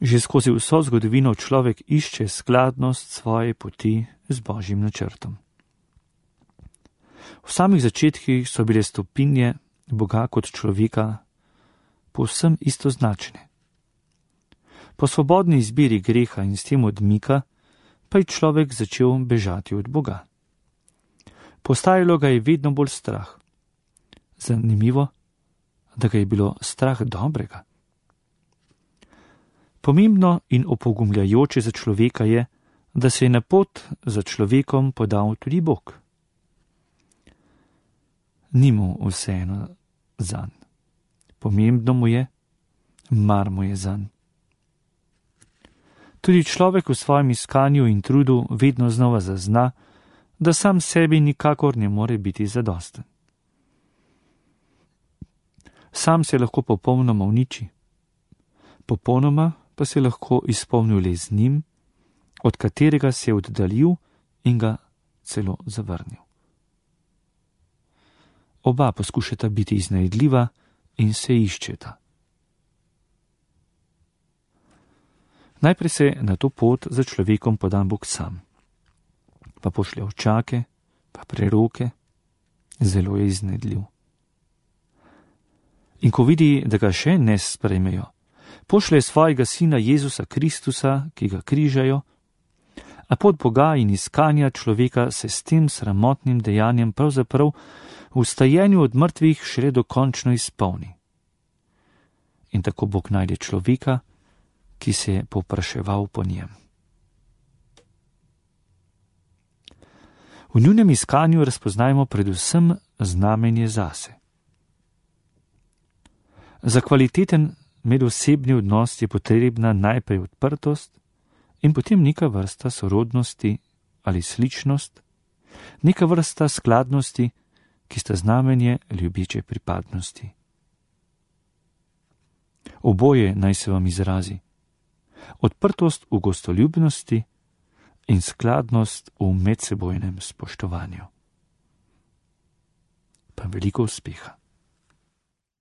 Že skozi vso zgodovino človek išče skladnost svoje poti z Božjim načrtom. V samih začetkih so bile stopinje Boga kot človeka povsem istoznačne. Po svobodni izbiri greha in s tem odmika pa je človek začel bežati od Boga. Postajalo ga je vedno bolj strah. Zanimivo, da ga je bilo strah dobrega. Pomembno in opogumljajoče za človeka je, da se je na pot za človekom podal tudi Bog. Ni mu vseeno zanj. Pomembno mu je, mar mu je zanj. Tudi človek v svojem iskanju in trudu vedno znova zazna, da sam sebi nikakor ne more biti zadosten. Sam se lahko popolnoma uniči. Popolnoma pa se lahko izpolnil le z njim, od katerega se je oddaljil in ga celo zavrnil. Oba poskušata biti iznajdljiva in se iščeta. Najprej se na to pot za človekom poda Bog sam, pa pošlje ovčake, pa preroke, zelo je iznajdljiv. In ko vidi, da ga še ne sprejmejo, pošlje svojega sina Jezusa Kristusa, ki ga križajo, a pot Boga in iskanja človeka se s tem sramotnim dejanjem pravzaprav v vstajenju od mrtvih šele dokončno izpolni. In tako Bog najde človeka, ki se je povpraševal po njem. V njunem iskanju razpoznajmo predvsem znamenje zase. Za kvaliteten medosebni odnos je potrebna najprej odprtost in potem neka vrsta sorodnosti ali sličnost, neka vrsta skladnosti, ki sta znamenje ljubeče pripadnosti. Oboje naj se vam izrazi. Odprtost v gostoljubnosti in skladnost v medsebojnem spoštovanju. Pa veliko uspeha.